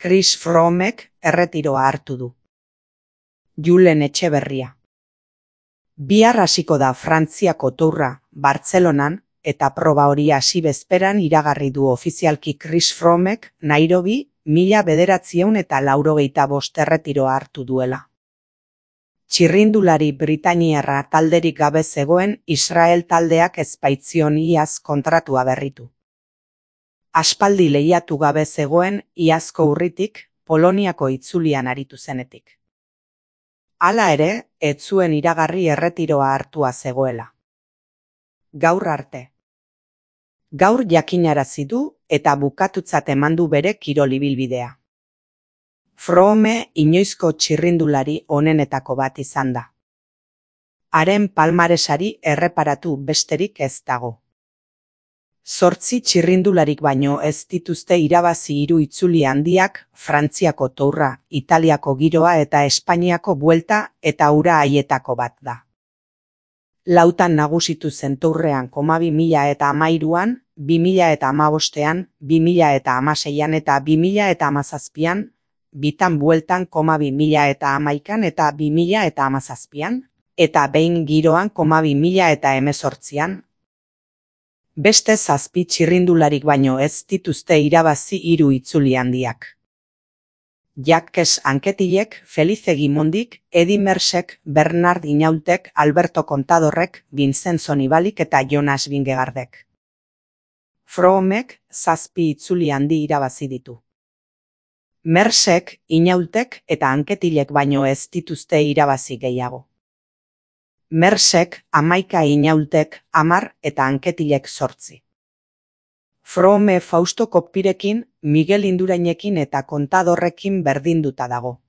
Chris Froomek erretiroa hartu du. Julen Etxeberria. Bihar hasiko da Frantziako Tourra, Bartzelonan, eta proba hori hasi bezperan iragarri du ofizialki Chris Froomek Nairobi 1985 erretiroa hartu duela. Txirrindulari britainiarra talderik gabe zegoen Israel taldeak ez baitzion iaz kontratua berritu. Aspaldi lehiatu gabe zegoen iazko urritik Poloniako itzulian aritu zenetik. Hala ere, ez zuen iragarri erretiroa hartua zegoela. Gaur arte. Gaur jakinarazi du eta bukatutzat eman du bere kirol ibilbidea. Froome inoizko txirrindulari onenetako bat izan da. Haren palmaresari erreparatu besterik ez dago. 8 txirrindularik baino ez dituzte irabazi 3 itzuli handiak, Frantziako Tourra, Italiako Giroa eta Espainiako Buelta eta hura haietako bat da. Lautan nagusitu zen Tourrean 2013an, 2015an, 2016an eta 2017an, bitan Bueltan 2011an eta 2017an, eta behin Giroan 2018an. Beste 7 txirrindularik baino ez dituzte irabazi 3 itzuli handiak. Jacques Anquetilek, Felice Gimondik, Edi Mersek, Bernard Inaultek, Alberto Contadorrek, Vincenzo Nibalik eta Jonas Vingegaardek. Froomek 7 itzuli handi irabazi ditu. Mersek, Inaultek eta Anquetilek baino ez dituzte irabazi gehiago. Mersek 11, Inaultek 10 eta Anquetilek 8. Froome Fausto Koppirekin, Miguel Indurainekin eta Contadorrekin berdinduta dago.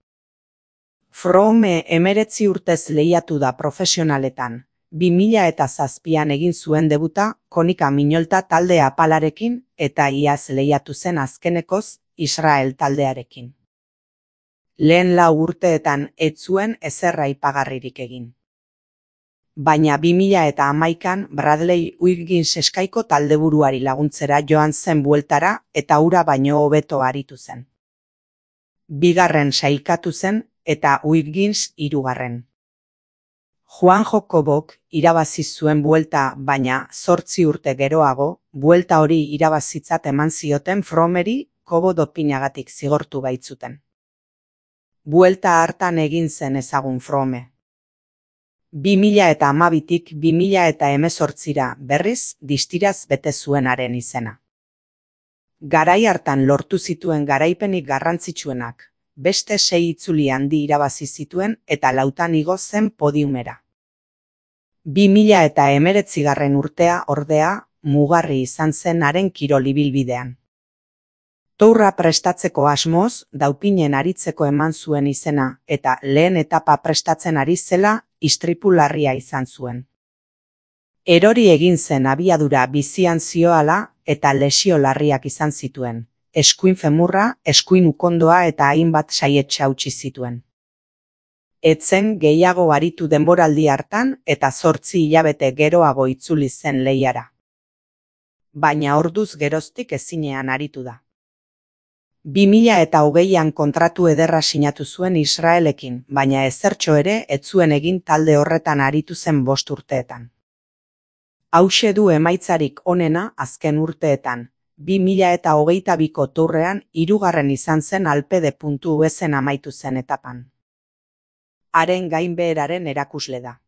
Froome 19 urtez lehiatu da profesionaletan. 2007an egin zuen debuta Konika Minolta talde apalarekin eta iaz lehiatu zen azkenekoz Israel taldearekin. Lehen 4 urteetan ez zuen ezer aipagarririk egin. Baina 2011an Bradley Wiggins eskaiko taldeburuari laguntzera joan zen Bueltara eta hura baino hobeto aritu zen. 2. sailkatu zen eta Wiggins 3. Juanjo Cobok irabazi zuen Buelta, baina 8 urte geroago, Buelta hori irabazitzat eman zioten Froomeri Cobo dopinagatik zigortu baitzuten. Buelta hartan egin zen ezagun Froome. 2012tik 2018ra berriz distiraz bete zuenaren izena. Garai hartan lortu zituen garaipenik garrantzitsuenak, beste 6 itzuli handi irabazi zituen eta 4 igo zen podiumera. 2019 urtea ordea mugarri izan zen haren kirol ibilbidean. Tourra prestatzeko asmoz, daupinen aritzeko eman zuen izena eta lehen etapa prestatzen ari zela istripu larria izan zuen. Erori egin zen abiadura bizian zioala eta lesio larriak izan zituen. Eskuin femurra, eskuin ukondoa eta hainbat saihetsa hautsi zituen. Etzen gehiago aritu denboraldi hartan eta 8 hilabete geroago itzuli zen lehiara. Baina orduz geroztik ezinean aritu da. 2020an kontratu ederra sinatu zuen Israelekin, baina ezertxo ere ez zuen egin talde horretan aritu zen 5 urteetan. Hauxe du emaitzarik onena azken urteetan. 2022ko Tourrean 3. izan zen Alpede.usen amaitu zen etapan. Haren gainbeheraren erakusle da.